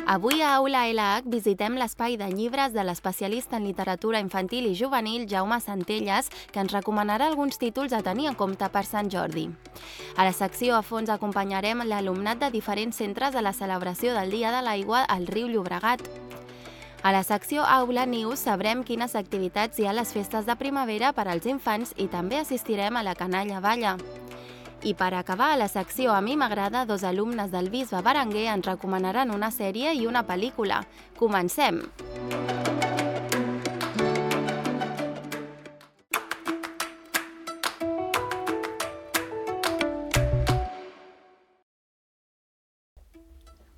Avui a Aula LH visitem l'espai de llibres de l'especialista en literatura infantil i juvenil Jaume Centelles, que ens recomanarà alguns títols a tenir en compte per Sant Jordi. A la secció a fons acompanyarem l'alumnat de diferents centres a la celebració del Dia de l'Aigua al riu Llobregat. A la secció Aula News sabrem quines activitats hi ha a les festes de primavera per als infants i també assistirem a la Canalla Balla. I per acabar, a la secció A mi m'agrada, dos alumnes del Bisbe Berenguer ens recomanaran una sèrie i una pel·lícula. Comencem!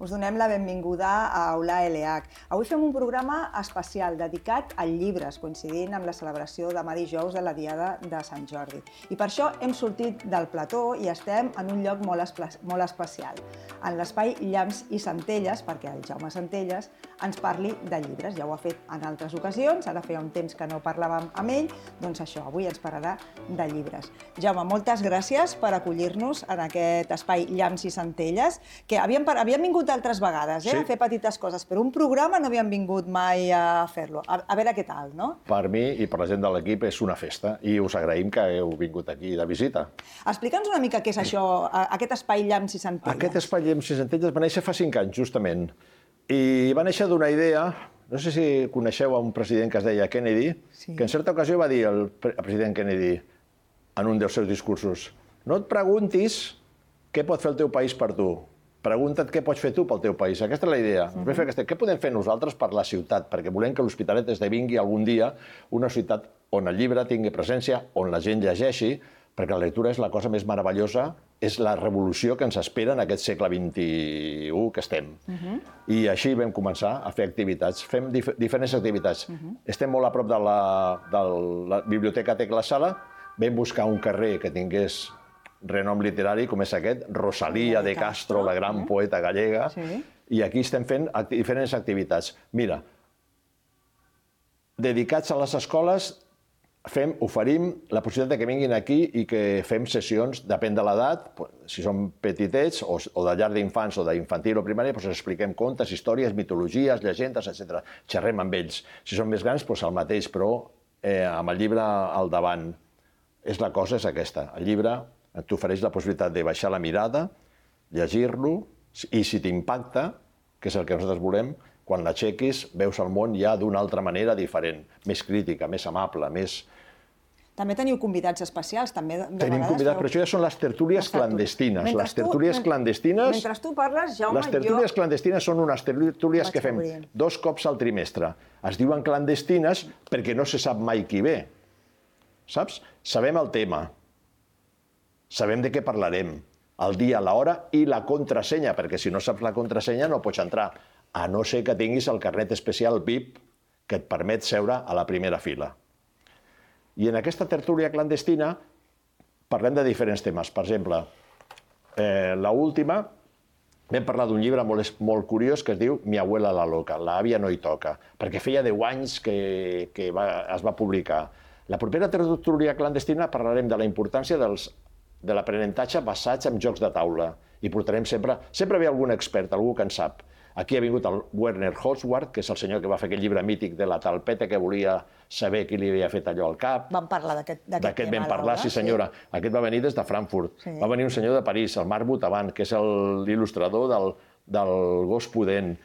Us donem la benvinguda a Aula LH. Avui fem un programa especial dedicat a llibres, coincidint amb la celebració demà dijous de la Diada de Sant Jordi. I per això hem sortit del plató i estem en un lloc molt especial, en l'espai Llamps i Centelles, perquè el Jaume Centelles ens parli de llibres. Ja ho ha fet en altres ocasions, ara feia un temps que no parlàvem amb ell, doncs això, avui ens parlarà de llibres. Jaume, moltes gràcies per acollir-nos en aquest espai Llamps i Centelles, que havíem vingut altres vegades, a fer petites coses, però un programa no havíem vingut mai a fer-lo. A veure què tal, no? Per mi i per la gent de l'equip és una festa i us agraïm que heu vingut aquí de visita. Explica'ns una mica què és això, aquest espai Llamps i Centelles. Aquest espai Llamps i Centelles va néixer fa 5 anys, justament, i va néixer d'una idea, no sé si coneixeu un president que es deia Kennedy, que en certa ocasió va dir el president Kennedy en un dels seus discursos: no et preguntis què pot fer el teu país per tu, pregunta't què pots fer tu pel teu país. Aquesta és la idea. Què podem fer nosaltres per la ciutat? Perquè volem que l'Hospitalet esdevingui algun dia una ciutat on el llibre tingui presència, on la gent llegeixi, perquè la lectura és la cosa més meravellosa, és la revolució que ens espera en aquest segle XXI que estem. I així vam començar a fer activitats. Fem diferents activitats. Estem molt a prop de la Biblioteca Tecla Sala. Vam buscar un carrer que tingués renom literari com és aquest, Rosalía de Castro, la gran poeta gallega, i aquí estem fent diferents activitats. Mira, dedicats a les escoles, oferim la possibilitat que vinguin aquí i que fem sessions, depèn de l'edat, si són petitets o de llar d'infants o d'infantil o primària, doncs expliquem contes, històries, mitologies, llegendes, etc. Xerrem amb ells. Si són més grans, doncs el mateix, però amb el llibre al davant. La cosa és aquesta, el llibre t'ofereix la possibilitat de baixar la mirada, llegir-lo, i si t'impacta, que és el que nosaltres volem, quan l'aixequis veus el món ja d'una altra manera diferent, més crítica, més amable, més... També teniu convidats especials, també de vegades... Tenim convidats, però això ja són les tertúlies clandestines. Les tertúlies clandestines... Mentre tu parles, Jaume, les tertúlies clandestines són unes tertúlies que fem 2 cops al trimestre. Es diuen clandestines perquè no se sap mai qui ve. Saps? Sabem el tema. Sabem de què parlarem, el dia, l'hora i la contrasenya, perquè si no saps la contrasenya no pots entrar, a no ser que tinguis el carnet especial VIP que et permet seure a la primera fila. I en aquesta tertúlia clandestina parlem de diferents temes. Per exemple, l'última vam parlar d'un llibre molt curiós que es diu Mi abuela la loca, l'àvia no hi toca, perquè feia 10 anys que es va publicar. La propera tertúlia clandestina parlarem de la importància de l'aprenentatge basats en jocs de taula. I portarem sempre ve algun expert, algú que en sap. Aquí ha vingut el Werner Holzwarth, que és el senyor que va fer aquell llibre mític de la talpeta que volia saber qui li havia fet allò al cap. Vam parlar d'aquest tema. D'aquest vam parlar, sí senyora. Aquest va venir des de Frankfurt. Va venir un senyor de París, el Marc Boutavant, que és l'il·lustrador del Gos Pudent.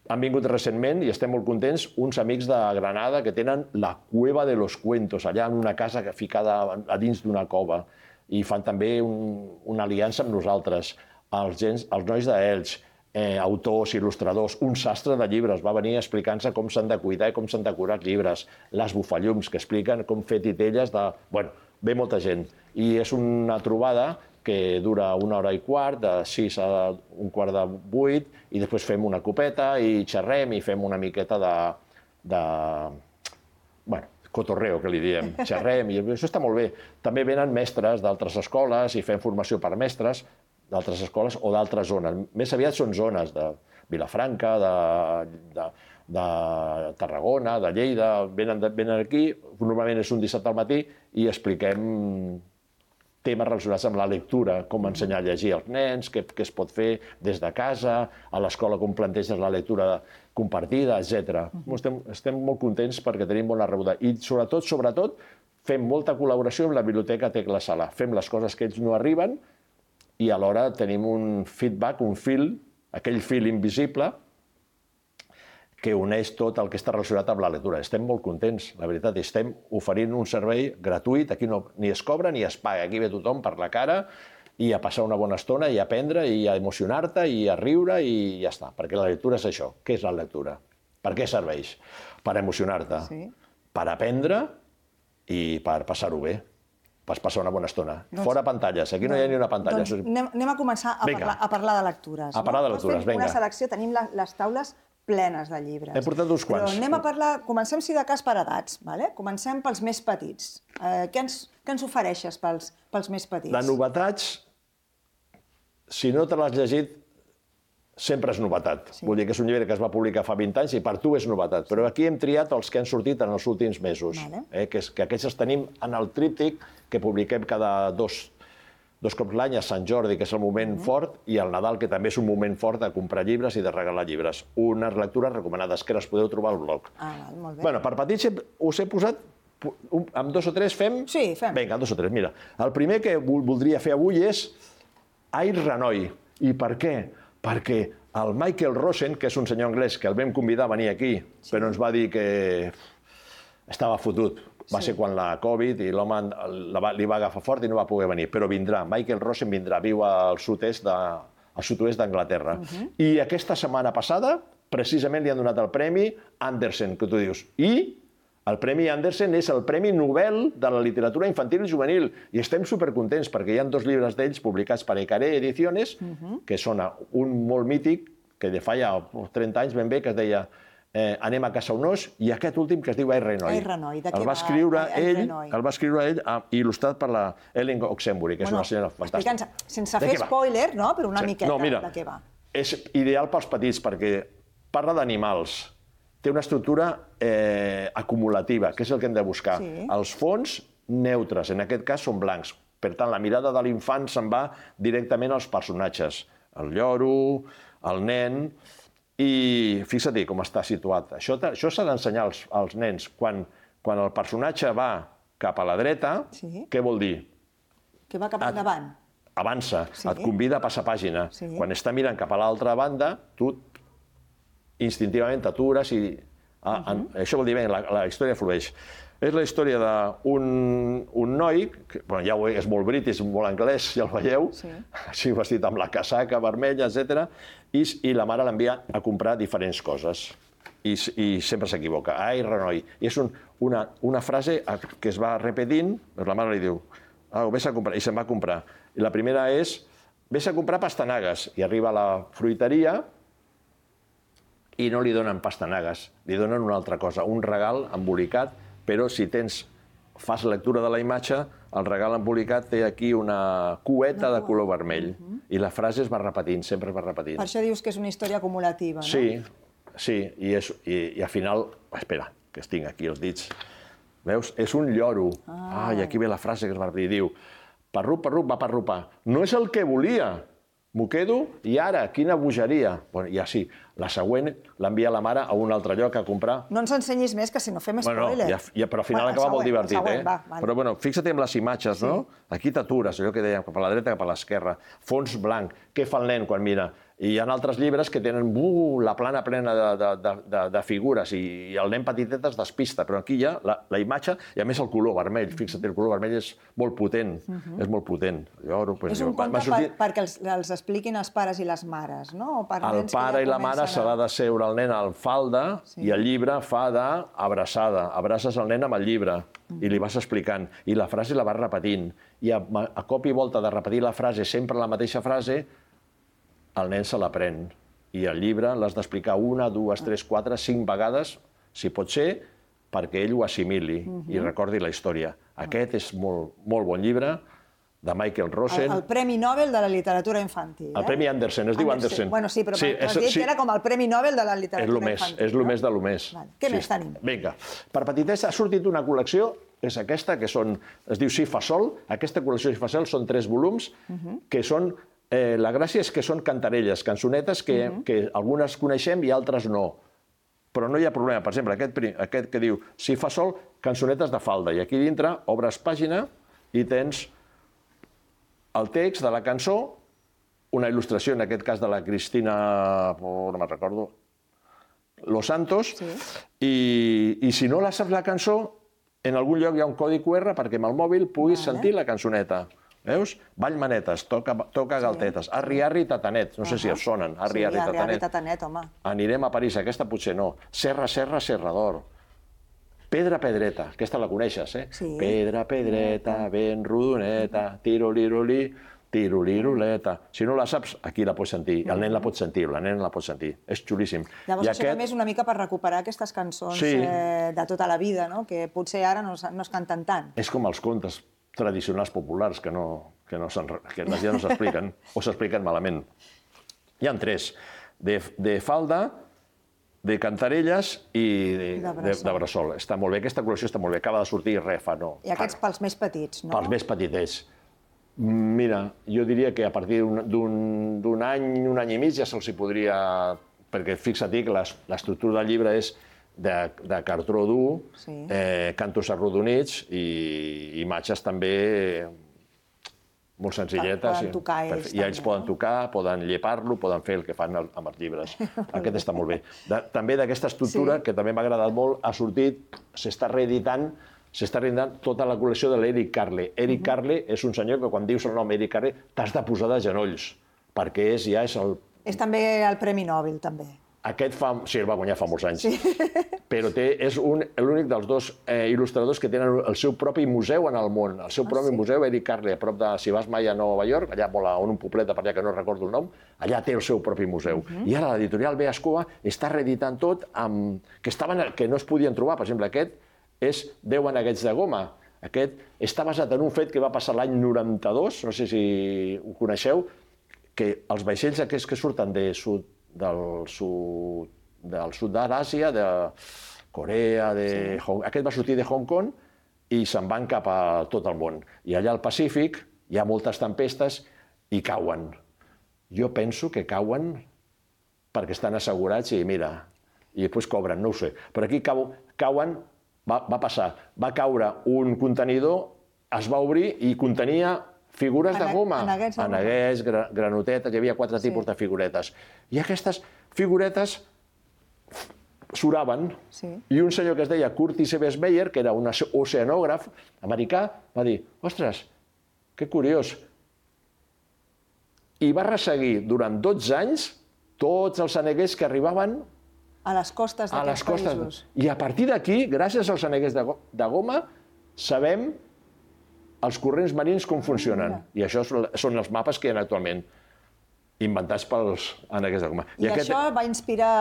Han vingut recentment, i estem molt contents, uns amics de Granada que tenen la Cueva de los Cuentos, allà en una casa ficada a dins d'una cova. I fan també una aliança amb nosaltres, els nois d'Elx, autors, il·lustradors, un sastre de llibres, va venir explicant-se com s'han de cuidar i com s'han de curar els llibres, les bufallums, que expliquen com fer titelles de... Bueno, ve molta gent. I és una trobada que dura 1 hora i quart, de 6 a 7:45, i després fem una copeta i xerrem i fem una miqueta de cotorreo, que li diem, xerrem, i això està molt bé. També venen mestres d'altres escoles i fem formació per mestres d'altres escoles o d'altres zones. Més aviat són zones de Vilafranca, de Tarragona, de Lleida, venen aquí, normalment és un dissabte al matí i expliquem temes relacionats amb la lectura, com ensenyar a llegir als nens, què es pot fer des de casa, a l'escola com planteges la lectura compartida, etc. Estem molt contents perquè tenim bona rebuda. I sobretot, fem molta col·laboració amb la Biblioteca Tecla Sala. Fem les coses que ells no arriben i alhora tenim un feedback, un fil, aquell fil invisible, que uneix tot el que està relacionat amb la lectura. Estem molt contents, la veritat. Estem oferint un servei gratuït. Aquí ni es cobra ni es paga. Aquí ve tothom per la cara i a passar una bona estona i a aprendre i a emocionar-te i a riure i ja està. Perquè la lectura és això. Què és la lectura? Per què serveix? Per emocionar-te, per aprendre i per passar-ho bé. Per passar una bona estona. Fora pantalles. Aquí no hi ha ni una pantalla. Anem a començar a parlar de lectures. A parlar de lectures, vinga. Una selecció, tenim les taules plenes de llibres. He portat uns quants. Però anem a parlar, comencem si de cas per edats, comencem pels més petits. Què ens ofereixes pels més petits? De novetats, si no te l'has llegit, sempre és novetat. Vull dir que és un llibre que es va publicar fa 20 anys i per tu és novetat. Però aquí hem triat els que han sortit en els últims mesos. Que aquests els tenim en el tríptic que publiquem cada dos cops l'any, a Sant Jordi, que és el moment fort, i al Nadal, que també és un moment fort de comprar llibres i de regalar llibres. Unes lectures recomanades, que les podeu trobar al blog. Molt bé. Bueno, per petits us he posat, amb 2 o 3 fem? Sí, fem. Vinga, 2 o 3. Mira, el primer que voldria fer avui és Air Ranoi. I per què? Perquè el Michael Rosen, que és un senyor anglès que el vam convidar a venir aquí, però ens va dir que estava fotut. Va ser quan la Covid i l'home li va agafar fort i no va poder venir. Però vindrà, Michael Rosen vindrà, viu al sud-oest d'Anglaterra. I aquesta setmana passada, precisament li han donat el Premi Andersen, que tu dius. I el Premi Andersen és el Premi Nobel de la literatura infantil i juvenil. I estem supercontents perquè hi ha 2 llibres d'ells publicats per Ecaré Ediciones, que són un molt mític, que de fa ja 30 anys ben bé, que es deia Anem a casa un os, i aquest últim que es diu Air Ranoi. Air Ranoi, de què el va escriure ell i il·lustrat per la Ellen Oxenbury, que és una senyora fantàstica. Explica'ns, sense fer spoiler, però una miqueta de què va. És ideal pels petits perquè parla d'animals, té una estructura acumulativa, que és el que hem de buscar. Els fons neutres, en aquest cas, són blancs. Per tant, la mirada de l'infant se'n va directament als personatges. El lloro, el nen. I fixa't com està situat. Això s'ha d'ensenyar als nens. Quan el personatge va cap a la dreta, què vol dir? Que va cap endavant. Avança, et convida a passar pàgina. Quan està mirant cap a l'altra banda, tu instintivament t'atures i... Això vol dir, la història flueix. És la història d'un noi, que ja és molt british, molt anglès, ja el veieu, així vestit amb la casaca vermella, etc. I la mare l'envia a comprar diferents coses. I sempre s'equivoca. Ai, Ranoi. I és una frase que es va repetint, la mare li diu, vés a comprar, i se'n va a comprar. I la primera és, vés a comprar pastanagues. I arriba a la fruiteria i no li donen pastanagues, li donen una altra cosa, un regal embolicat, però si fas lectura de la imatge, el regal embolicat té aquí una cueta de color vermell. I la frase es va repetint, sempre es va repetint. Per això dius que és una història acumulativa, no? Sí, i al final... Espera, que es tinc aquí els dits. Veus? És un lloro. I aquí ve la frase que es va repetir. Diu, parrup, va parrupar. No és el que volia. M'ho quedo i ara, quina bogeria. I així, la següent l'envia la mare a un altre lloc a comprar. No ens ensenyis més, que si no fem spoiler. Però al final acaba molt divertit, Però bueno, fixa't en les imatges, no? Aquí t'atures, allò que dèiem, cap a la dreta, cap a l'esquerra. Fons blanc. Què fa el nen quan mira? I hi ha altres llibres que tenen la plana plena de figures i el nen petitet es despista, però aquí hi ha la imatge i a més el color vermell. Fixa't, el color vermell és molt potent, és molt potent. És un conte perquè els expliquin els pares i les mares, no? El pare i la mare s'ha de seure el nen al falda i el llibre fa d'abraçada. Abraces el nen amb el llibre i li vas explicant. I la frase la vas repetint. I a cop i volta de repetir la frase, sempre la mateixa frase, el nen se l'aprèn. I el llibre l'has d'explicar 1, 2, 3, 4, 5 vegades, si pot ser, perquè ell ho assimili i recordi la història. Aquest és molt bon llibre, de Michael Rosen. El Premi Nobel de la literatura infantil. El Premi Andersen, es diu Andersen. Bueno, sí, però has dit que era com el Premi Nobel de la literatura infantil. És el més de lo més. Què més tenim? Vinga, per petitesa ha sortit una col·lecció és aquesta, que es diu Si fa sol. Aquesta col·lecció Si fa sol són 3 volums, que són... La gràcia és que són cantarelles, cançonetes que algunes coneixem i altres no. Però no hi ha problema. Per exemple, aquest que diu Si fa sol, cançonetes de falda. I aquí dintre obres pàgina i tens el text de la cançó, una il·lustració, en aquest cas de la Cristina, no me'n recordo, Los Santos, i si no la saps la cançó, en algun lloc hi ha un codi QR perquè amb el mòbil puguis sentir la cançoneta. Veus? Ball manetes, toca galtetes, arri, arri, tatanet. No sé si us sonen, arri, arri, tatanet. Sí, arri, arri, tatanet, home. Anirem a París, aquesta potser no. Serra, serra, serrador. Pedra, pedreta, aquesta la coneixes, eh? Pedra, pedreta, ben rodoneta, tiro-liro-li, tiro-liroleta. Si no la saps, aquí la pots sentir. El nen la pot sentir, la nena la pot sentir. És xulíssim. Llavors això també és una mica per recuperar aquestes cançons de tota la vida, que potser ara no es canten tant. És com els contes tradicionals populars que la gent no s'expliquen o s'expliquen malament. Hi ha 3, de falda, de cantarelles i de bressol. Està molt bé, aquesta col·lecció està molt bé. Acaba de sortir fa no. I aquests pels més petits, no? Pels més petitets. Mira, jo diria que a partir d'un any i mig ja se'ls podria... Perquè fixa't que l'estructura del llibre és de cartró dur, cantos arrodonits i imatges també molt senzilletes. Poden tocar ells. I ells poden tocar, poden llepar-lo, poden fer el que fan amb els llibres. Aquest està molt bé. També d'aquesta estructura, que també m'ha agradat molt, ha sortit, s'està reeditant tota la col·lecció de l'Eric Carle. Eric Carle és un senyor que quan dius el nom Eric Carle t'has de posar de genolls, perquè ja és el... És també el Premi Nobel, també. Aquest sí, el va guanyar fa molts anys, però és l'únic dels 2 il·lustradors que tenen el seu propi museu en el món. El seu propi museu, Eric Carle, a prop de, si vas mai a Nova York, allà on un poblet per allà que no recordo el nom, allà té el seu propi museu. I ara l'editorial Beascoa està reeditant tot que no es podien trobar. Per exemple, aquest és 10 aneguets de goma. Aquest està basat en un fet que va passar l'any 92, no sé si ho coneixeu, que els vaixells aquests que surten del sud d'Àsia, de Corea, aquest va sortir de Hong Kong i se'n van cap a tot el món. I allà al Pacífic hi ha moltes tempestes i cauen. Jo penso que cauen perquè estan assegurats i mira, i després cobren, no ho sé. Però aquí cauen, va passar, va caure un contenidor, es va obrir i contenia figures de goma, aneguets, granotetes, hi havia 4 tipus de figuretes. I aquestes figuretes suraven, i un senyor que es deia Curtis Eves Meyer, que era un oceanògraf americà, va dir, ostres, que curiós. I va resseguir durant 12 anys tots els aneguets que arribaven a les costes d'aquests països. I a partir d'aquí, gràcies als aneguets de goma, sabem els corrents marins com funcionen. I això són els mapes que hi ha actualment, inventats pels aneguets de goma. I això va inspirar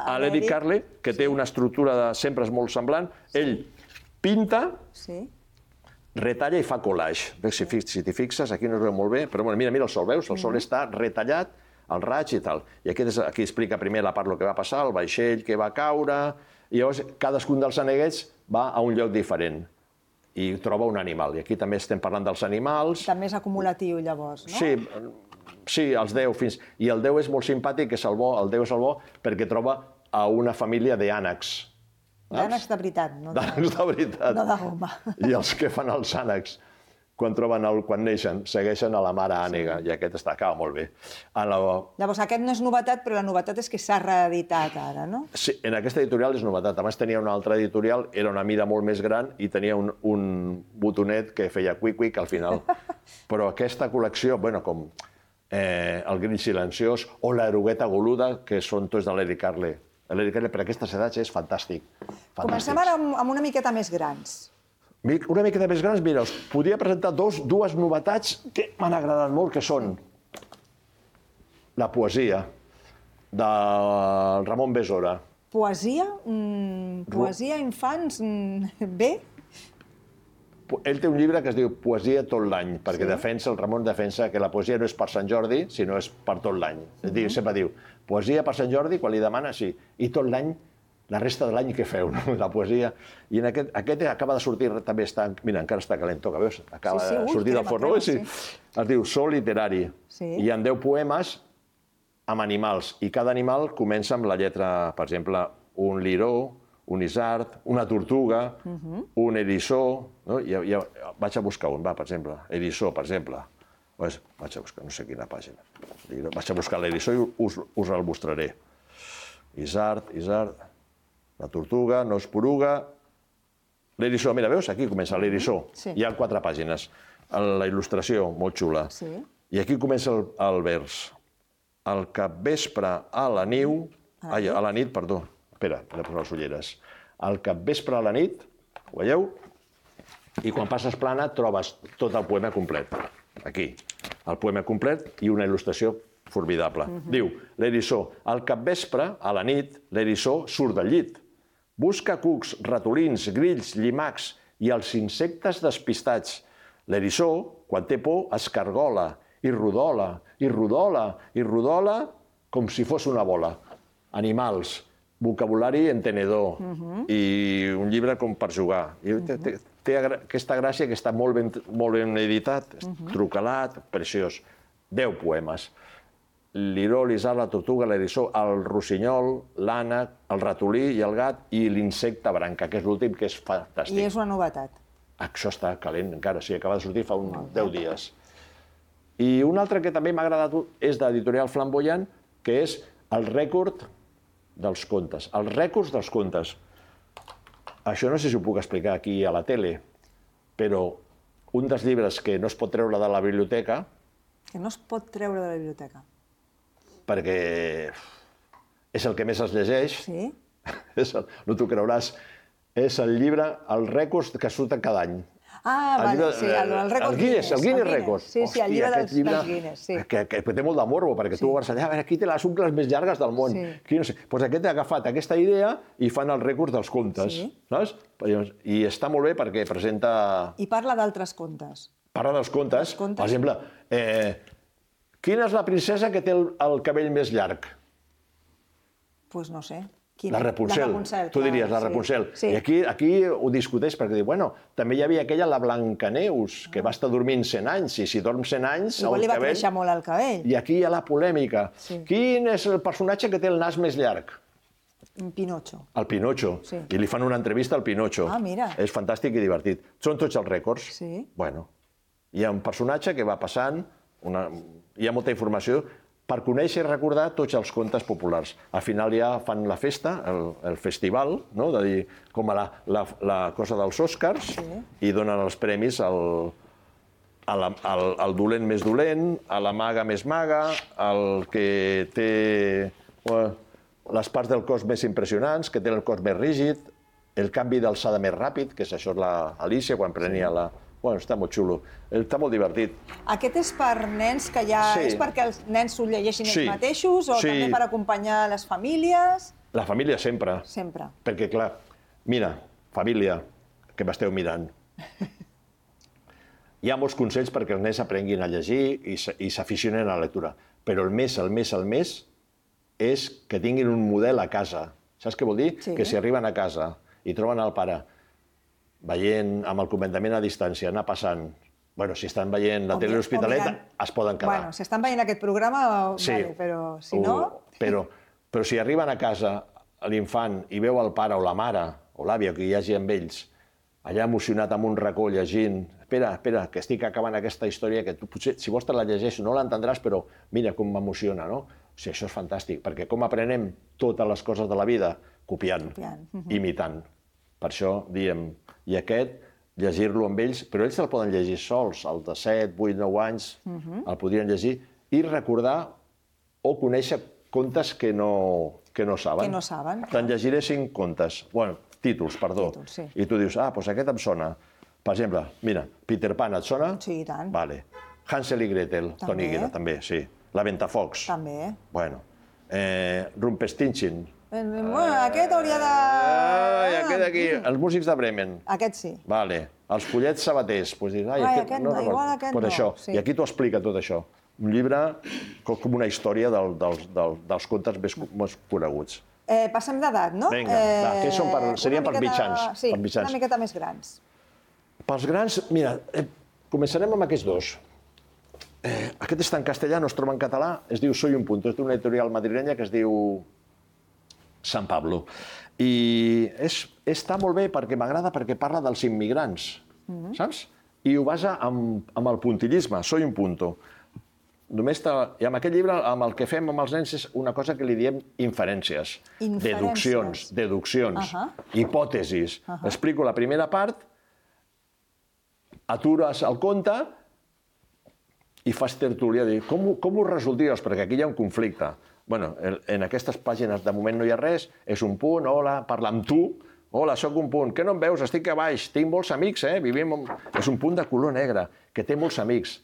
a l'Eric Carle, que té una estructura sempre molt semblant. Ell pinta, retalla i fa collage. Si t'hi fixes, aquí no es veu molt bé, però mira el sol, veus? El sol està retallat, el raig i tal. I aquí explica primer la part del que va passar, el vaixell que va caure, i llavors cadascun dels aneguets va a un lloc diferent i troba un animal. I aquí també estem parlant dels animals. També és acumulatiu, llavors, no? Sí, els 10 fins... I el 10 és molt simpàtic, és el bo, el 10 és el bo, perquè troba a una família d'ànecs. D'ànecs de veritat, no de goma. I els que fan els ànecs, quan neixen, segueixen a la mare ànega, i aquest acaba molt bé. Llavors, aquest no és novetat, però la novetat és que s'ha reeditat ara, no? Sí, en aquesta editorial és novetat. Abans tenia una altra editorial, era una mida molt més gran i tenia un botonet que feia cuic-cuic al final. Però aquesta col·lecció, com El grill silenciós o l'erugueta goluda, que són tots de l'Eric Carle. L'Eric Carle per aquestes edats és fantàstic. Comencem ara amb una miqueta més grans. Una miqueta més grans, mira, us podria presentar dues novetats que m'han agradat molt, que són la poesia de Ramon Besora. Poesia? Poesia infants? Bé? Ell té un llibre que es diu Poesia tot l'any, perquè el Ramon defensa que la poesia no és per Sant Jordi, sinó és per tot l'any. Sempre diu, poesia per Sant Jordi, quan li demana, sí, i tot l'any la resta de l'any què feu, no? La poesia. I en aquest acaba de sortir, també està... Mira, encara està calent, que veus? Acaba de sortir del forn. Es diu So literari. Hi ha 10 poemes amb animals, i cada animal comença amb la lletra, per exemple, un liró, un isard, una tortuga, un eriçó... Vaig a buscar un, per exemple. Eriçó, per exemple. Vaig a buscar, no sé quina pàgina. Vaig a buscar l'eriçó i us el mostraré. Isard, la tortuga, no es poruga... L'eriçó, mira, veus? Aquí comença l'eriçó. Hi ha 4 pàgines. La il·lustració, molt xula. I aquí comença el vers. Al capvespre a la nit... A la nit, perdó. Espera, he de posar les ulleres. Al capvespre a la nit, ho veieu? I quan passes plana trobes tot el poema complet. Aquí. El poema complet i una il·lustració formidable. Diu, l'eriçó, al capvespre, a la nit, l'eriçó surt del llit. Busca cucs, ratolins, grills, llimacs i els insectes despistats. L'eriçó, quan té por, escargola i rodola, i rodola, i rodola, com si fos una bola. Animals, vocabulari entenedor i un llibre com per jugar. Té aquesta gràcia que està molt ben editat, trucalat, preciós. 10 poemes. L'iró, l'isard, la tortuga, l'eriçó, el rossinyol, l'ànec, el ratolí i el gat i l'insecte branca, que és l'últim, que és fantàstic. I és una novetat. Això està calent encara, sí, acaba de sortir fa uns 10 dies. I un altre que també m'ha agradat és d'Editorial Flamboyant, que és el rècord dels contes. Els rècords dels contes. Això no sé si ho puc explicar aquí a la tele, però un dels llibres que no es pot treure de la biblioteca... Que no es pot treure de la biblioteca. Perquè és el que més es llegeix. Sí? No t'ho creuràs. És el llibre, els rècords que surten cada any. Ah, vale, sí, el rècord Guinness. El Guinness Records. Sí, sí, el llibre dels Guinness, sí. Que té molt de morbo, perquè tu vas allà, a veure, qui té les ungles més llargues del món. Doncs aquest ha agafat aquesta idea i fan els rècords dels contes, saps? I està molt bé perquè presenta... I parla d'altres contes. Parla dels contes. Per exemple, quina és la princesa que té el cabell més llarg? Doncs no sé. La Rapunzel, tu diries, la Rapunzel. I aquí ho discuteix perquè diu, bueno, també hi havia aquella, la Blancaneus, que va estar dormint 100 anys, i si dorm 100 anys... Igual li va créixer molt el cabell. I aquí hi ha la polèmica. Quin és el personatge que té el nas més llarg? Pinotxo. El Pinotxo. I li fan una entrevista al Pinotxo. Ah, mira. És fantàstic i divertit. Són tots els rècords. Sí. Bueno, hi ha un personatge que va passant, hi ha molta informació, per conèixer i recordar tots els contes populars. Al final ja fan la festa, el festival, de dir, com la cosa dels Oscars, i donen els premis al dolent més dolent, a la maga més maga, al que té les parts del cos més impressionants, que té el cos més rígid, el canvi d'alçada més ràpid, que és això l'Alícia, quan prenia la... Bueno, està molt xulo. Està molt divertit. Aquest és per nens que ja... És perquè els nens s'ho llegeixin ells mateixos o també per acompanyar les famílies? La família sempre. Sempre. Perquè, clar, mira, família, que m'esteu mirant. Hi ha molts consells perquè els nens aprenguin a llegir i s'aficionen a la lectura. Però el més és que tinguin un model a casa. Saps què vol dir? Que si arriben a casa i troben el pare veient amb el comandament a distància, anar passant... Bueno, si estan veient la tele de l'Hospitalet, es poden quedar. Bueno, si estan veient aquest programa, vale, però si no... Però si arriben a casa l'infant i veu el pare o la mare o l'àvia que hi hagi amb ells, allà emocionat amb un racó llegint, espera, que estic acabant aquesta història, que tu potser, si vols te la llegeixo, no l'entendràs, però mira com m'emociona, no? O sigui, això és fantàstic, perquè com aprenem totes les coses de la vida? Copiant. Imitant. Per això diem... I aquest, llegir-lo amb ells, però ells el poden llegir sols, el de 7, 8, 9 anys, el podrien llegir, i recordar o conèixer contes que no saben. Que no saben. Te'n llegiré 5 contes, bueno, títols, perdó. I tu dius, doncs aquest em sona. Per exemple, mira, Peter Pan, et sona? Sí, i tant. Vale. Hansel i Gretel, Toni Guerra, també, sí. La Ventafocs. També. Bueno. Rumpelstiltskin. Aquest hauria de... Aquest d'aquí, els músics de Bremen. Aquest sí. Vale. Els follets sabaters. Aquest no, igual aquest no. I aquí t'ho explica tot això. Un llibre com una història dels contes més coneguts. Passem d'edat, no? Vinga, va, que serien per mitjans. Sí, una miqueta més grans. Pels grans, mira, començarem amb aquests dos. Aquest està en castellà, no es troba en català, es diu Soy un punto, és d'una editorial madrilenya que es diu San Pablo. I està molt bé perquè m'agrada perquè parla dels immigrants, saps? I ho basa amb el puntillisme, Soy un punto. I amb aquest llibre, amb el que fem amb els nens, és una cosa que li diem inferències, deduccions, hipòtesis. Explico la primera part, atures el conte i fas tertúlia, dir, com ho resoldries? Perquè aquí hi ha un conflicte. Bueno, en aquestes pàgines de moment no hi ha res, és un punt, hola, parla amb tu, hola, sóc un punt, què no em veus? Estic a baix, tinc molts amics, vivim... És un punt de color negre, que té molts amics.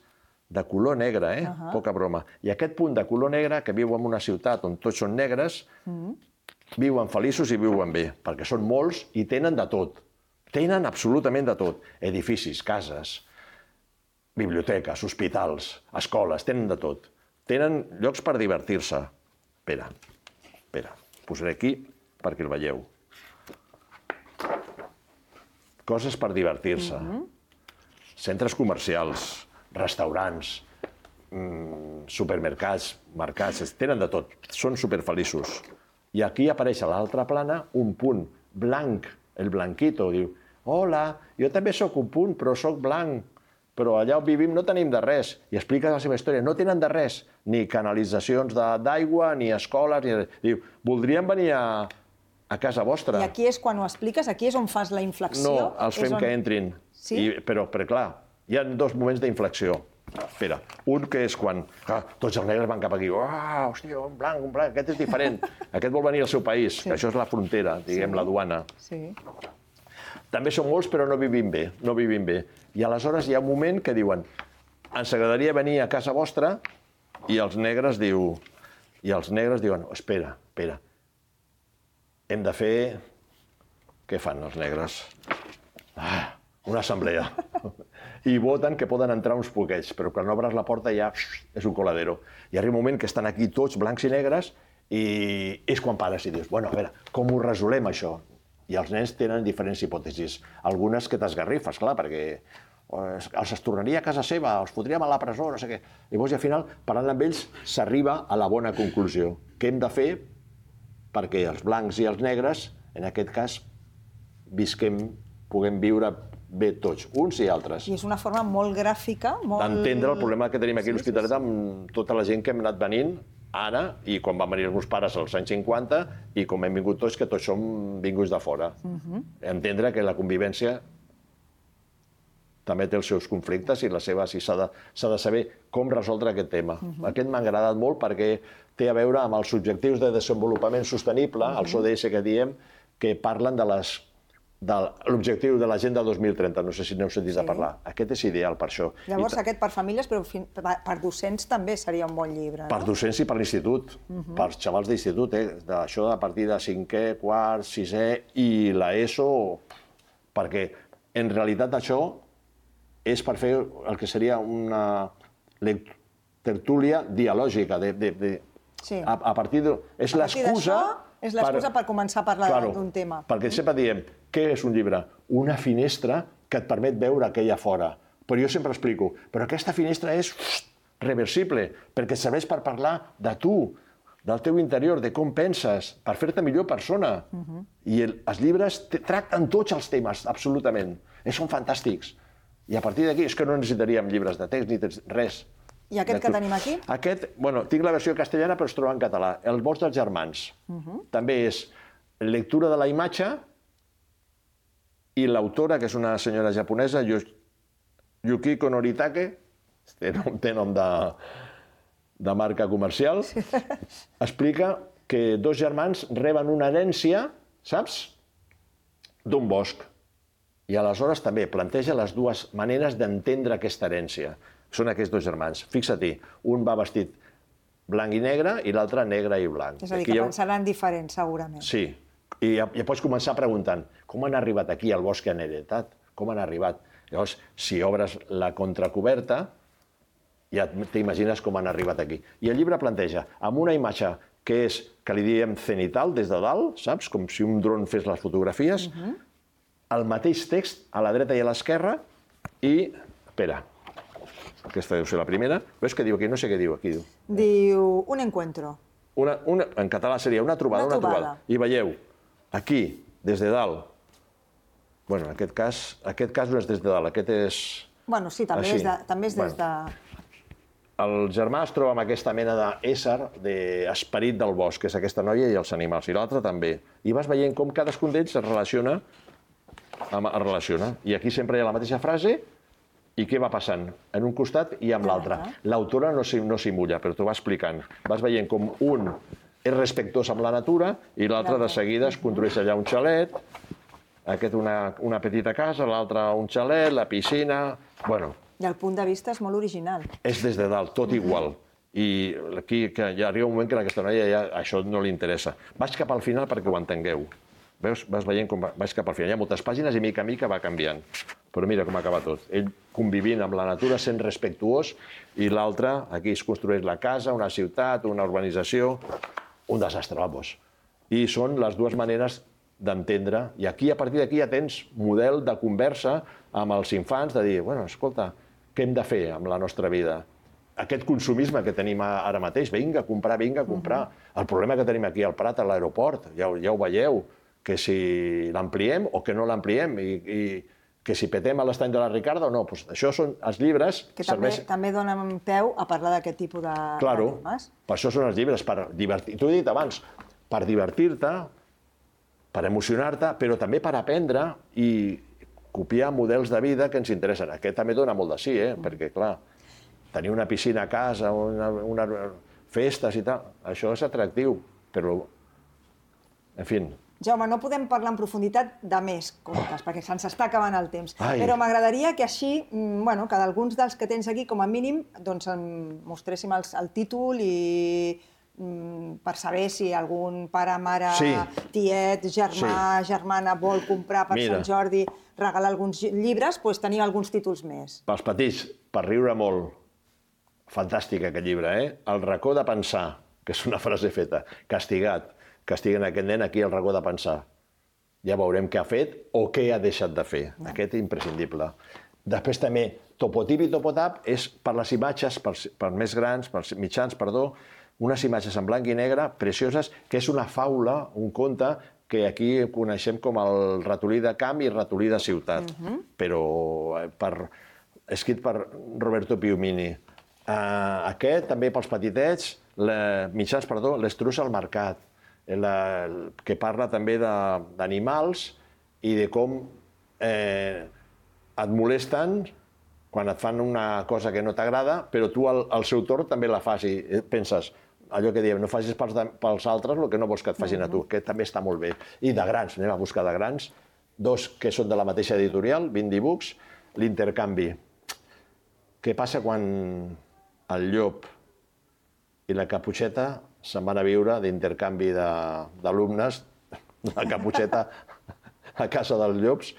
De color negre, poca broma. I aquest punt de color negre, que viu en una ciutat on tots són negres, viuen feliços i viuen bé, perquè són molts i tenen de tot. Tenen absolutament de tot. Edificis, cases, biblioteques, hospitals, escoles, tenen de tot. Tenen llocs per divertir-se. Espera, posaré aquí perquè el veieu. Coses per divertir-se. Centres comercials, restaurants, supermercats, mercats, tenen de tot, són superfeliços. I aquí apareix a l'altra plana un punt blanc, el blanquito, diu, hola, jo també sóc un punt, però sóc blanc, però allà on vivim no tenim de res. I explica la seva història, no tenen de res, ni canalitzacions d'aigua, ni escoles, ni... Diu, voldríem venir a casa vostra. I aquí és quan ho expliques? Aquí és on fas la inflexió? No, els fem que entrin. Sí? Però clar, hi ha dos moments d'inflexió. Espera, un que és quan tots els negres van cap aquí. Hòstia, un blanc, aquest és diferent. Aquest vol venir al seu país, que això és la frontera, diguem, la duana. També són molts, però no vivim bé. I aleshores hi ha un moment que diuen ens agradaria venir a casa vostra i els negres diuen espera, hem de fer... Què fan els negres? Una assemblea. I voten que poden entrar uns poquets, però quan obres la porta ja és un coladero. I arriba un moment que estan aquí tots blancs i negres i és quan pares i dius, bueno, a veure, com ho resolem això? I els nens tenen diferents hipòtesis. Algunes que t'esgarrifes, clar, perquè els tornaria a casa seva, els fotríem a la presó, no sé què. Llavors, al final, parlant amb ells, s'arriba a la bona conclusió. Què hem de fer perquè els blancs i els negres, en aquest cas, puguem viure bé tots, uns i altres. I és una forma molt gràfica, molt... D'entendre el problema que tenim aquí a l'Hospitalet amb tota la gent que hem anat venint ara i quan van venir els meus pares als anys 50 i com hem vingut tots, que tots som vinguts de fora. Entendre que la convivència també té els seus conflictes i s'ha de saber com resoldre aquest tema. Aquest m'ha agradat molt perquè té a veure amb els objectius de desenvolupament sostenible, els ODS que diem, que parlen de l'objectiu de l'Agenda 2030, no sé si n'heu sentit a parlar. Aquest és ideal per això. Llavors, aquest per famílies, però per docents també seria un bon llibre, no? Per docents i per l'institut, per xavals d'institut, això a partir de 5è, 4è, 6è i l'ESO, perquè en realitat això és per fer el que seria una tertúlia dialògica. A partir de... És l'excusa... És l'excusa per començar a parlar d'un tema. Perquè sempre diem, què és un llibre? Una finestra que et permet veure què hi ha fora. Però jo sempre explico, però aquesta finestra és reversible, perquè serveix per parlar de tu, del teu interior, de com penses, per fer-te millor persona. I els llibres tracten tots els temes, absolutament. Són fantàstics. I a partir d'aquí és que no necessitaríem llibres de text ni res. I aquest que tenim aquí? Aquest, bueno, tinc la versió castellana però es troba en català. El bosc dels germans. També és lectura de la imatge i l'autora, que és una senyora japonesa, Yukiko Noritake, té nom de marca comercial, explica que dos germans reben una herència, saps?, d'un bosc. I aleshores també planteja les dues maneres d'entendre aquesta herència. Són aquests dos germans. Fixa-t'hi, un va vestit blanc i negre i l'altre negre i blanc. És a dir, que pensaran diferents, segurament. Sí. I ja pots començar preguntant com han arribat aquí al bosc que han heretat? Com han arribat? Llavors, si obres la contracoberta, ja t'imagines com han arribat aquí. I el llibre planteja, amb una imatge que és, que li diem cenital, des de dalt, saps? Com si un dron fes les fotografies. El mateix text a la dreta i a l'esquerra i... Espera, aquesta deu ser la primera. Veus què diu aquí? No sé què diu aquí. Diu un encuentro. En català seria una trobada. I veieu, aquí, des de dalt. Bueno, en aquest cas no és des de dalt, aquest és... Bueno, sí, també és des de... El germà es troba amb aquesta mena d'ésser, d'esperit del bosc, que és aquesta noia i els animals, i l'altre també. I vas veient com cadascun d'ells es relaciona. I aquí sempre hi ha la mateixa frase i què va passant en un costat i amb l'altre. L'autora no s'hi mulla, però t'ho va explicant. Vas veient com un és respectuós amb la natura i l'altre de seguida es construeix allà un xalet, aquest una petita casa, l'altre un xalet, la piscina... Bueno... I el punt de vista és molt original. És des de dalt, tot igual. I aquí ja arriba un moment que a aquesta noia ja això no li interessa. Vaig cap al final perquè ho entengueu. Veus? Vas veient com vaig cap al final. Hi ha moltes pàgines i mica en mica va canviant. Però mira com acaba tot. Ell convivint amb la natura, sent respectuós, i l'altre, aquí es construeix la casa, una ciutat, una urbanització, un desastre, vamos. I són les dues maneres d'entendre. I aquí, a partir d'aquí, ja tens model de conversa amb els infants, de dir, bueno, escolta, què hem de fer amb la nostra vida? Aquest consumisme que tenim ara mateix, vinga a comprar. El problema que tenim aquí al Prat, a l'aeroport, ja ho veieu, que si l'ampliem o que no l'ampliem, i que si petem a l'estany de la Ricarda o no. Això són els llibres... Que també donen peu a parlar d'aquest tipus de temes. Claro, per això són els llibres, per divertir. T'ho he dit abans, per divertir-te, per emocionar-te, però també per aprendre i copiar models de vida que ens interessen. Aquest també dona molt de sí, perquè, clar, tenir una piscina a casa, festes i tal, això és atractiu, però, en fi... Jaume, no podem parlar en profunditat de més contes, perquè se'ns està acabant el temps. Però m'agradaria que així, que d'alguns dels que tens aquí, com a mínim, doncs mostréssim el títol i per saber si algun pare, mare, tiet, germà, germana vol comprar per Sant Jordi, regalar alguns llibres, doncs tenir alguns títols més. Pels petits, per riure molt. Fantàstic aquest llibre, El racó de pensar, que és una frase feta, castigat. Castiguen aquest nen aquí al racó de pensar. Ja veurem què ha fet o què ha deixat de fer. Aquest és imprescindible. Després també, Topotip i Topotap és per les imatges, per més grans, per mitjans, perdó, unes imatges en blanc i negre precioses, que és una faula, un conte, que aquí coneixem com el ratolí de camp i ratolí de ciutat, però escrit per Roberto Piumini. Aquest, també pels petitets, mitjans, perdó, l'Estruç al mercat, que parla també d'animals i de com et molesten quan et fan una cosa que no t'agrada, però tu al seu torn també la fas i penses, allò que diem, no facis pels altres el que no vols que et facin a tu, que també està molt bé. I de grans, anem a buscar de grans, dos que són de la mateixa editorial, 20 Books, l'intercanvi. Què passa quan el llop i la Caputxeta se'n van a viure d'intercanvi d'alumnes, la Caputxeta a casa dels llops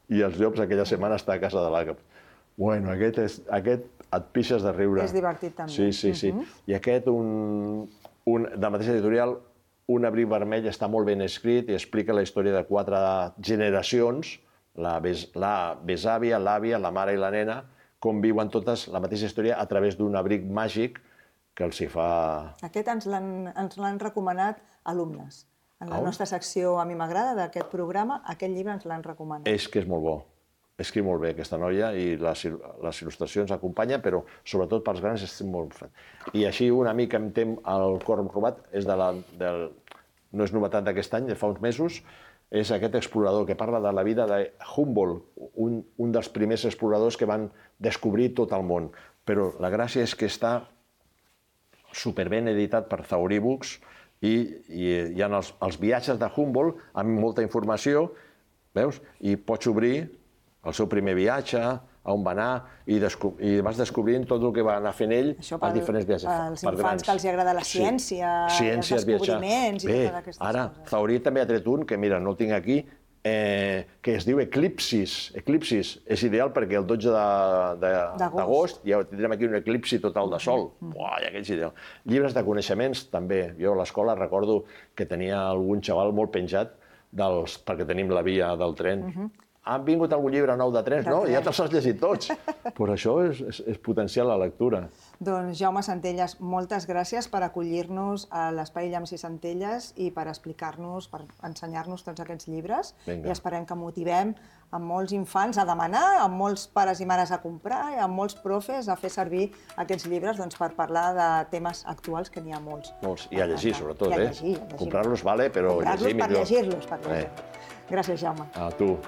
i els llops aquella setmana està a casa de la Caputxeta. Bueno, aquest et pixes de riure. És divertit també. Sí. I aquest, de la mateixa editorial, Un abric vermell, està molt ben escrit i explica la història de 4 generacions, la besàvia, l'àvia, la mare i la nena, com viuen totes la mateixa història a través d'un abric màgic que els hi fa... Aquest ens l'han recomanat alumnes. En la nostra secció A mi m'agrada d'aquest programa, aquest llibre ens l'han recomanat. És que és molt bo. Escriu molt bé aquesta noia i les il·lustracions acompanyen, però sobretot pels grans és molt fet. I així una mica em tem el cor robat, no és novetat d'aquest any, de fa uns mesos, és aquest explorador que parla de la vida de Humboldt, un dels primers exploradors que van descobrir tot el món. Però la gràcia és que està superben editat per Zaurí Books i hi ha els viatges de Humboldt amb molta informació, veus? I pots obrir el seu primer viatge, on va anar, i vas descobrint tot el que va anar fent ell als diferents viatges. Els infants que els agrada la ciència, els descobriments i totes aquestes coses. Ara, Zaurí també ha tret un, que mira, no el tinc aquí, que es diu Eclipsis. Eclipsis és ideal perquè el 12 d'agost ja tindrem aquí un eclipsi total de sol. Uai, aquest és ideal. Llibres de coneixements, també. Jo a l'escola recordo que tenia algun xaval molt penjat perquè tenim la via del tren. Han vingut algun llibre nou de trens? No, ja te'ls has llegit tots. Però això és potenciar la lectura. Doncs Jaume Centelles, moltes gràcies per acollir-nos a l'Espai Llamps i Centelles i per explicar-nos, per ensenyar-nos tots aquests llibres. I esperem que motivem a molts infants a demanar, a molts pares i mares a comprar, i a molts profes a fer servir aquests llibres per parlar de temes actuals, que n'hi ha molts. Molts, i a llegir, sobretot. Comprar-los vale, però llegir millor. Llegir-los per llegir. Gràcies, Jaume. A tu.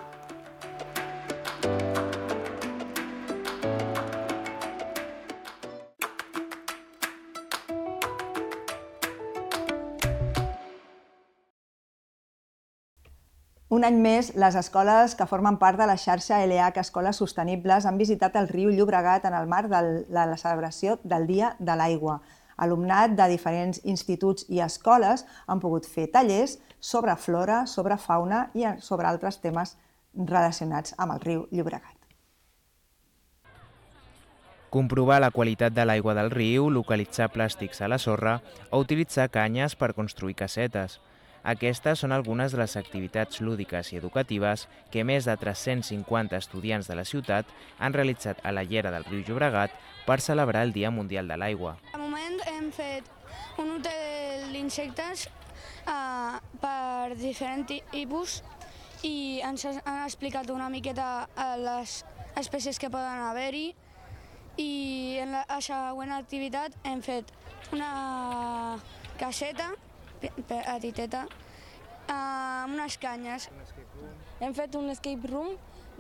Un any més, les escoles que formen part de la xarxa LH Escoles Sostenibles han visitat el riu Llobregat en el marc de la celebració del Dia de l'Aigua. Alumnat de diferents instituts i escoles han pogut fer tallers sobre flora, sobre fauna i sobre altres temes relacionats amb el riu Llobregat. Comprovar la qualitat de l'aigua del riu, localitzar plàstics a la sorra o utilitzar canyes per construir casetes. Aquestes són algunes de les activitats lúdiques i educatives que més de 350 estudiants de la ciutat han realitzat a la llera del riu Llobregat per celebrar el Dia Mundial de l'Aigua. De moment hem fet un hotel d'insectes per diferents tipus i ens han explicat una miqueta les espècies que poden haver-hi, i en la següent activitat hem fet una caseta petiteta amb unes canyes. Hem fet un escape room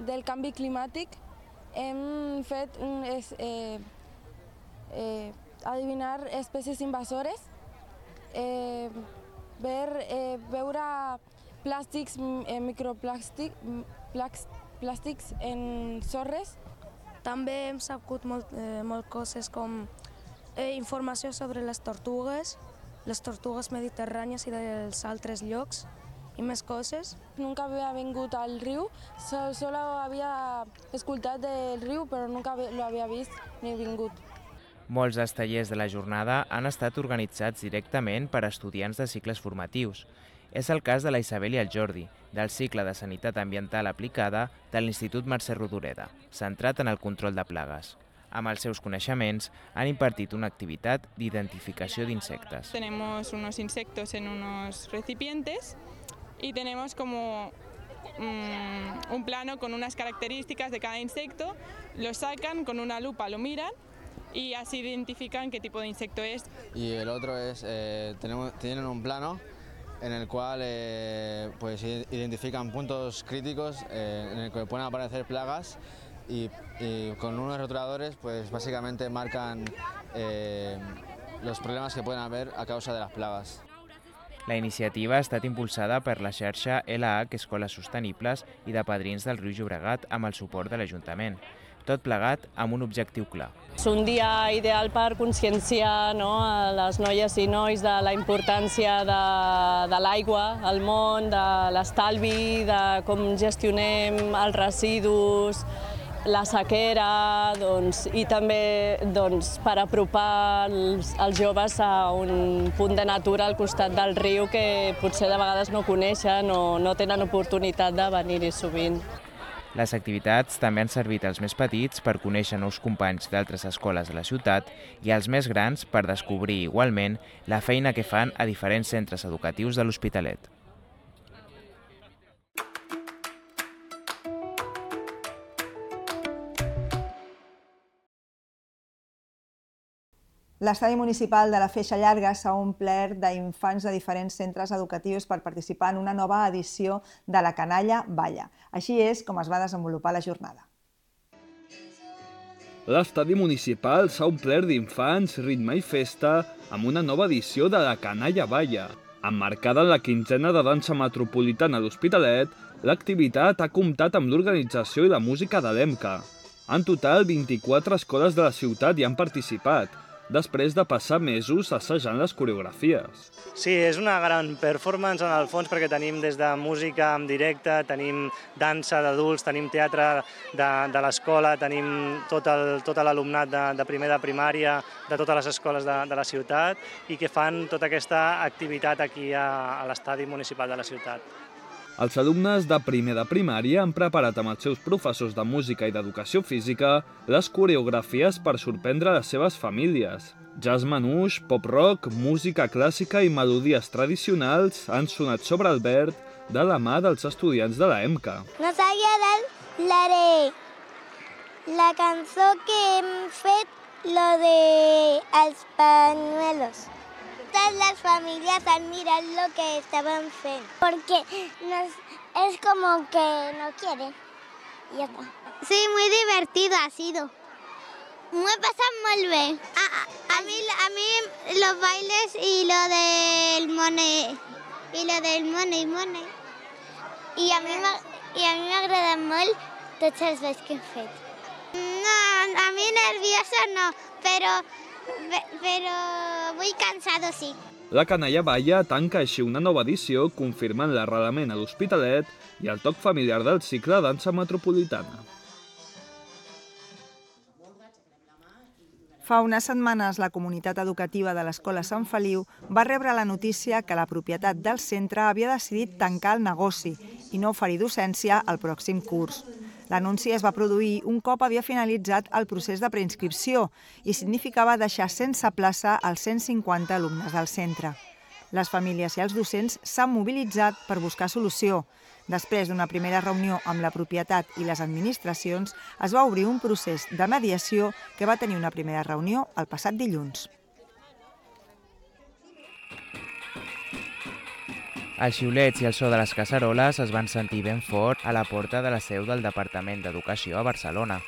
del canvi climàtic. Hem fet adivinar espècies invasores, veure plàstics, microplàstics en sorres. També hem sabut molt coses com informació sobre les tortugues mediterrànies i dels altres llocs i més coses. Nunca havia vingut al riu, solo havia escoltat del riu, però nunca lo havia vist ni vingut. Molts dels tallers de la jornada han estat organitzats directament per estudiants de cicles formatius. És el cas de la Isabel i el Jordi, del cicle de Sanitat Ambiental Aplicada de l'Institut Mercè Rodoreda, centrat en el control de plagues. Amb els seus coneixements, han impartit una activitat d'identificació d'insectes. Tenemos unos insectos en unos recipientes y tenemos como un plano con unas características de cada insecto, lo sacan con una lupa, lo miran y así identifican qué tipo de insecto es. Y el otro es, tienen un plano en el cual pues identifican puntos críticos en el que pueden aparecer plagas y con unos rotuladores pues básicamente marcan los problemas que pueden haber a causa de las plagas. La iniciativa ha estat impulsada per la xarxa LH Escoles Sostenibles i de Padrins del Riu Llobregat amb el suport de l'Ajuntament. Tot plegat amb un objectiu clar. És un dia ideal per conscienciar a les noies i nois de la importància de l'aigua al món, de l'estalvi, de com gestionem els residus, la sequera, i també per apropar els joves a un punt de natura al costat del riu que potser de vegades no coneixen o no tenen oportunitat de venir-hi sovint. Les activitats també han servit als més petits per conèixer nous companys d'altres escoles de la ciutat i als més grans per descobrir igualment la feina que fan a diferents centres educatius de l'Hospitalet. L'estadi municipal de la Feixa Llarga s'ha omplert d'infants de diferents centres educatius per participar en una nova edició de la Canalla Balla. Així és com es va desenvolupar la jornada. L'estadi municipal s'ha omplert d'infants, ritme i festa amb una nova edició de la Canalla Balla. Emmarcada en la quinzena de dansa metropolitana d'Hospitalet, l'activitat ha comptat amb l'organització i la música de l'EMCA. En total, 24 escoles de la ciutat hi han participat, després de passar mesos assajant les coreografies. Sí, és una gran performance en el fons perquè tenim des de música en directe, tenim dansa d'adults, tenim teatre de l'escola, tenim tot l'alumnat de primer de primària, de totes les escoles de la ciutat i que fan tota aquesta activitat aquí a l'estadi municipal de la ciutat. Els alumnes de primer de primària han preparat amb els seus professors de música i d'educació física les coreografies per sorprendre les seves famílies. Jazz manouche, pop-rock, música clàssica i melodies tradicionals han sonat sobre el verd de la mà dels estudiants de la EMCA. Nos ha agradat la cançó que hem fet, lo de els pañuelos. Todas las familias han mirado lo que estaban haciendo, porque es como que no quieren. Y ya está. Sí, muy divertido ha sido. Me pasa muy bien. A mí los bailes y lo del money. Y a mí m'agrada molt tots els balls que hem fet. No, a mí nerviosa no, pero muy cansado sí. La Canalla Balla tanca així una nova edició confirmant l'arrelament a l'Hospitalet i el toc familiar del cicle Dansa Metropolitana. Fa unes setmanes, la comunitat educativa de l'Escola Sant Feliu va rebre la notícia que la propietat del centre havia decidit tancar el negoci i no oferir docència al pròxim curs. L'anunci es va produir un cop havia finalitzat el procés de preinscripció i significava deixar sense plaça els 150 alumnes del centre. Les famílies i els docents s'han mobilitzat per buscar solució. Després d'una primera reunió amb la propietat i les administracions, es va obrir un procés de mediació que va tenir una primera reunió el passat dilluns. Els xiulets i el so de les casseroles es van sentir ben fort a la porta de la seu del Departament d'Educació a Barcelona.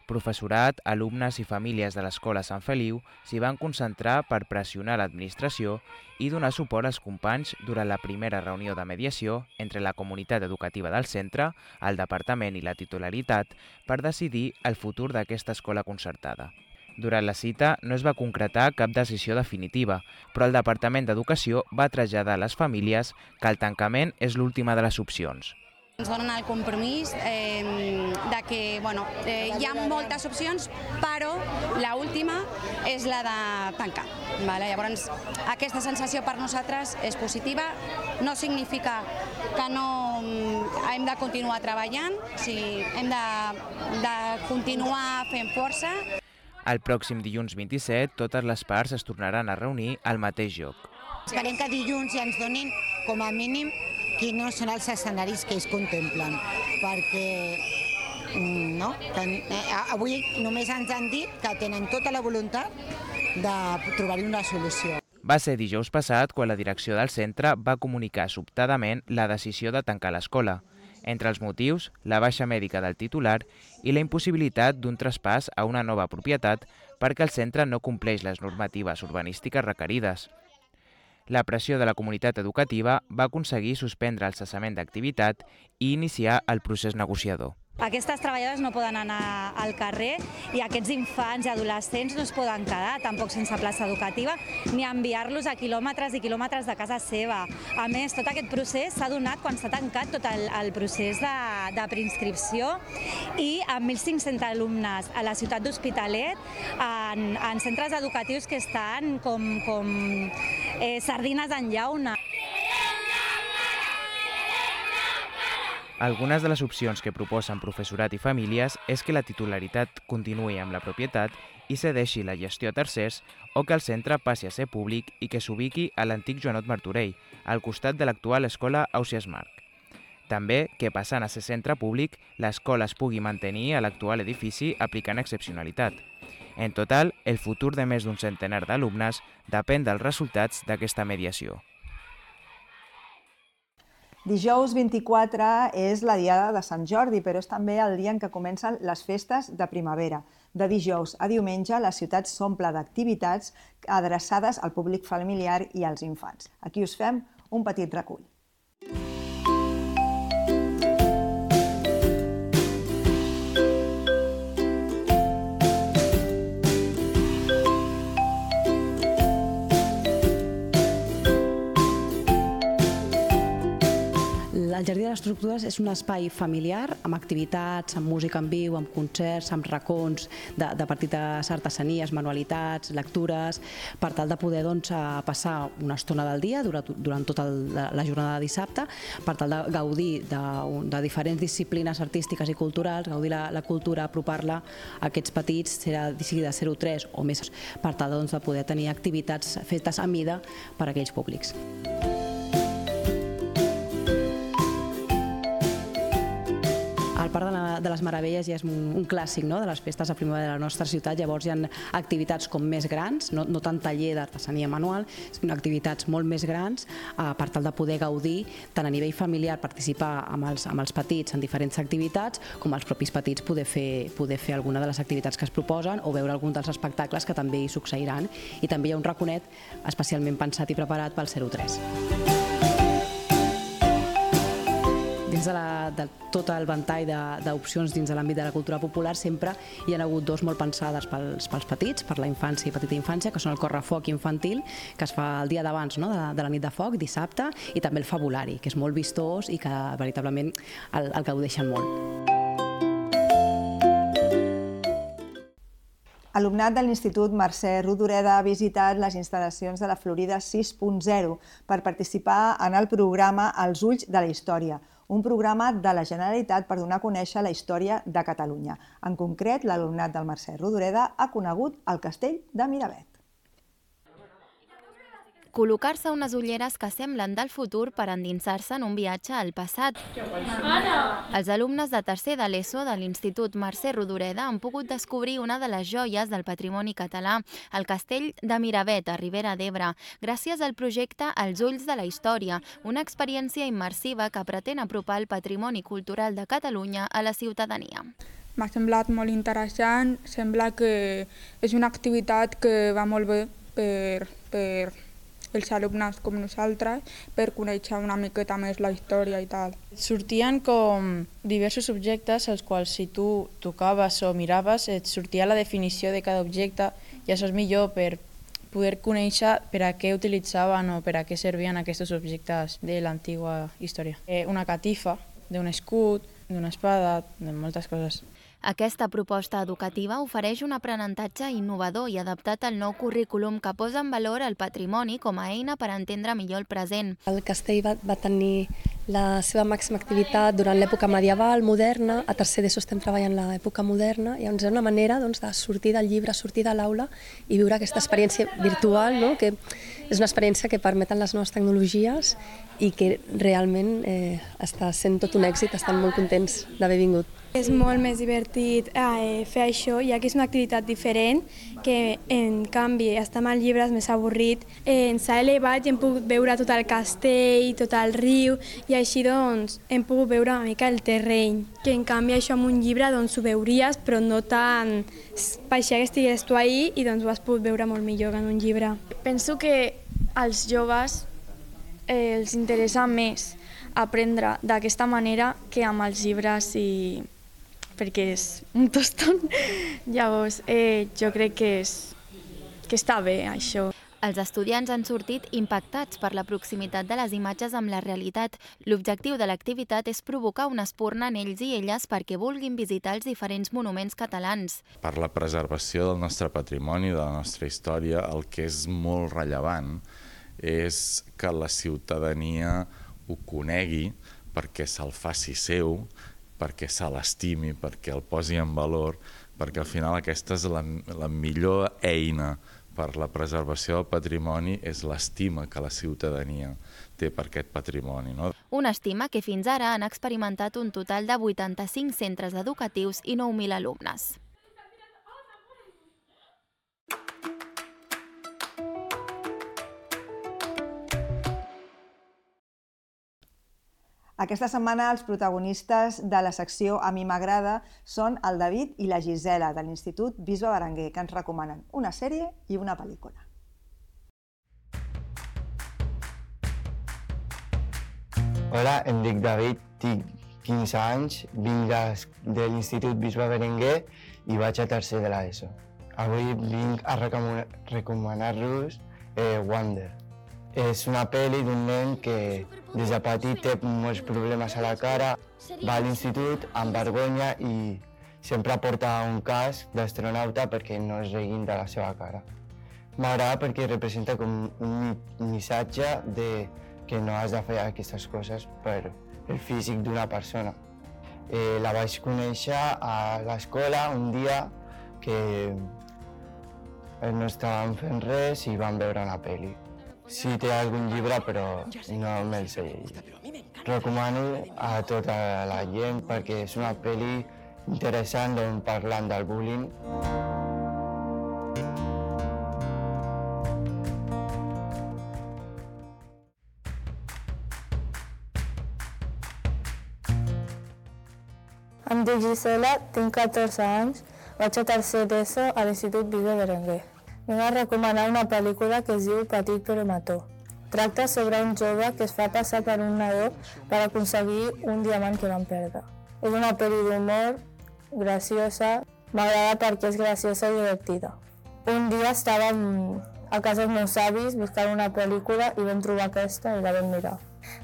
Professorat, alumnes i famílies de l'Escola Sant Feliu s'hi van concentrar per pressionar l'administració i donar suport als companys durant la primera reunió de mediació entre la comunitat educativa del centre, el departament i la titularitat per decidir el futur d'aquesta escola concertada. Durant la cita no es va concretar cap decisió definitiva, però el Departament d'Educació va traslladar a les famílies que el tancament és l'última de les opcions. Ens donen el compromís de que hi ha moltes opcions, però l'última és la de tancar. Llavors, aquesta sensació per nosaltres és positiva, no significa que no hem de continuar treballant, hem de continuar fent força. El pròxim dilluns 27, totes les parts es tornaran a reunir al mateix lloc. Esperem que dilluns ja ens donin, com a mínim, quins són els escenaris que es contemplen, perquè avui només ens han dit que tenen tota la voluntat de trobar-hi una solució. Va ser dijous passat quan la direcció del centre va comunicar sobtadament la decisió de tancar l'escola. Entre els motius, la baixa mèdica del titular i la impossibilitat d'un traspàs a una nova propietat perquè el centre no compleix les normatives urbanístiques requerides. La pressió de la comunitat educativa va aconseguir suspendre el cessament d'activitat i iniciar el procés negociador. Aquestes treballadores no poden anar al carrer i aquests infants i adolescents no es poden quedar, tampoc sense plaça educativa, ni enviar-los a quilòmetres i quilòmetres de casa seva. A més, tot aquest procés s'ha donat quan s'ha tancat tot el procés de preinscripció i amb 1.500 alumnes a la ciutat d'Hospitalet en centres educatius que estan com sardines en llauna. Algunes de les opcions que proposen professorat i famílies és que la titularitat continuï amb la propietat i cedeixi la gestió a tercers o que el centre passi a ser públic i que s'ubiqui a l'antic Joanot Martorell, al costat de l'actual escola Ausiàs Marc. També que, passant a ser centre públic, l'escola es pugui mantenir a l'actual edifici aplicant excepcionalitat. En total, el futur de més d'un centenar d'alumnes depèn dels resultats d'aquesta mediació. Dijous 24 és la Diada de Sant Jordi, però és també el dia en què comencen les festes de primavera. De dijous a diumenge, la ciutat s'omple d'activitats adreçades al públic familiar i als infants. Aquí us fem un petit recull. d'Estructures és un espai familiar amb activitats, amb música en viu, amb concerts, amb racons de petites artesanies, manualitats, lectures, per tal de poder passar una estona del dia durant tota la jornada de dissabte, per tal de gaudir de diferents disciplines artístiques i culturals, gaudir la cultura, apropar-la a aquests petits, sigui de 0-3 o més, per tal de poder tenir activitats fetes a mida per a aquells públics. El Parc de les Meravelles ja és un clàssic de les festes de primavera de la nostra ciutat, llavors hi ha activitats com més grans, no tant taller d'artesania manual, sinó activitats molt més grans per tal de poder gaudir tant a nivell familiar, participar amb els petits en diferents activitats, com els propis petits poder fer alguna de les activitats que es proposen o veure algun dels espectacles que també hi succeiran. I també hi ha un raconet especialment pensat i preparat pel 0-3. Dins de tot el ventall d'opcions dins de l'àmbit de la cultura popular sempre hi ha hagut dos molt pensades pels petits, per la infància i petita infància, que són el correfoc infantil, que es fa el dia d'abans de la nit de foc, dissabte, i també el fabulari, que és molt vistós i que veritablement el gaudeixen molt. Alumnat de l'Institut Mercè Rodoreda ha visitat les instal·lacions de la Florida 6.0 per participar en el programa Els ulls de la història, un programa de la Generalitat per donar a conèixer la història de Catalunya. En concret, l'alumnat del Mercè Rodoreda ha conegut el castell de Miravet. Col·locar-se unes ulleres que semblen del futur per endinsar-se en un viatge al passat. Els alumnes de tercer de l'ESO de l'Institut Mercè Rodoreda han pogut descobrir una de les joies del patrimoni català, el castell de Miravet, a Ribera d'Ebre, gràcies al projecte Els ulls de la història, una experiència immersiva que pretén apropar el patrimoni cultural de Catalunya a la ciutadania. M'ha semblat molt interessant, sembla que és una activitat que va molt bé per els alumnes com nosaltres, per conèixer una miqueta més la història i tal. Sortien com diversos objectes als quals si tu tocaves o miraves et sortia la definició de cada objecte i això és millor per poder conèixer per a què utilitzaven o per a què servien aquests objectes de l'antiga història. Una catifa, d'un escut, d'una espada, de moltes coses. Aquesta proposta educativa ofereix un aprenentatge innovador i adaptat al nou currículum que posa en valor el patrimoni com a eina per entendre millor el present. El castell va tenir la seva màxima activitat durant l'època medieval, moderna, a tercer d'ESO estem treballant l'època moderna, i llavors és una manera de sortir del llibre, sortir de l'aula i viure aquesta experiència virtual, que és una experiència que permeten les noves tecnologies i que realment està sent tot un èxit, estan molt contents d'haver vingut. És molt més divertit fer això, ja que és una activitat diferent, que en canvi estar amb llibres més avorrit. Ens ha elevat i hem pogut veure tot el castell, tot el riu, i així doncs hem pogut veure una mica el terreny, que en canvi això amb un llibre doncs ho veuries, però no tant pareixia que estigués tu ahí i doncs ho has pogut veure molt millor que en un llibre. Penso que als joves els interessa més aprendre d'aquesta manera que amb els llibres perquè és un tostón. Llavors, jo crec que està bé, això. Els estudiants han sortit impactats per la proximitat de les imatges amb la realitat. L'objectiu de l'activitat és provocar una espurna en ells i elles perquè vulguin visitar els diferents monuments catalans. Per la preservació del nostre patrimoni, de la nostra història, el que és molt rellevant és que la ciutadania ho conegui perquè se'l faci seu, perquè se l'estimi, perquè el posi en valor, perquè al final aquesta és la millor eina per la preservació del patrimoni, és l'estima que la ciutadania té per aquest patrimoni. Una estima que fins ara han experimentat un total de 85 centres educatius i 9.000 alumnes. Aquesta setmana els protagonistes de la secció A mi m'agrada són el David i la Gisela de l'Institut Bisbe Berenguer, que ens recomanen una sèrie i una pel·lícula. Hola, em dic David, tinc 15 anys, vinc de l'Institut Bisbe Berenguer i vaig a tercer de l'ESO. Avui vinc a recomanar-vos Wonder. És una pel·li d'un nen que des de petit té molts problemes a la cara, va a l'institut amb vergonya i sempre porta un casc d'astronauta perquè no es riguin de la seva cara. M'agrada perquè representa com un missatge que no has de fer aquestes coses per el físic d'una persona. La vaig conèixer a l'escola un dia que no estàvem fent res i vam veure una pel·li. Sí, té algun llibre, però no me'l sé llegir. Recomano a tota la gent perquè és una pel·li interessant on parlen del bullying. Em dic Gisela, tinc 14 anys, vaig a tercer d'ESO a l'Institut Vive Berenguer. Vinc a recomanar una pel·lícula que es diu Petit però mató. Tracta sobre un jove que es fa passar per un nadó per aconseguir un diamant que van perdre. És una pel·li d'humor, graciosa, m'agrada perquè és graciosa i divertida. Un dia estàvem a casa dels meus avis buscant una pel·lícula i vam trobar aquesta i la vam mirar.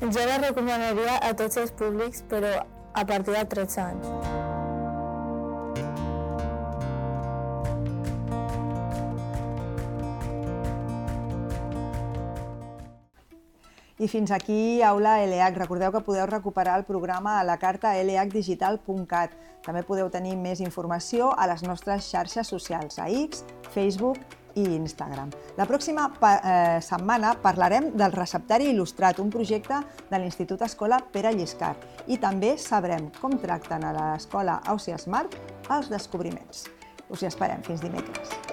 Jo la recomanaria a tots els públics, però a partir de 13 anys. I fins aquí Aula LH. Recordeu que podeu recuperar el programa a la carta lhdigital.cat. També podeu tenir més informació a les nostres xarxes socials, a X, Facebook i Instagram. La pròxima setmana parlarem del receptari il·lustrat, un projecte de l'Institut Escola Pere Lliscard. I també sabrem com tracten a l'escola Ausiasmart els descobriments. Us hi esperem. Fins dimecres.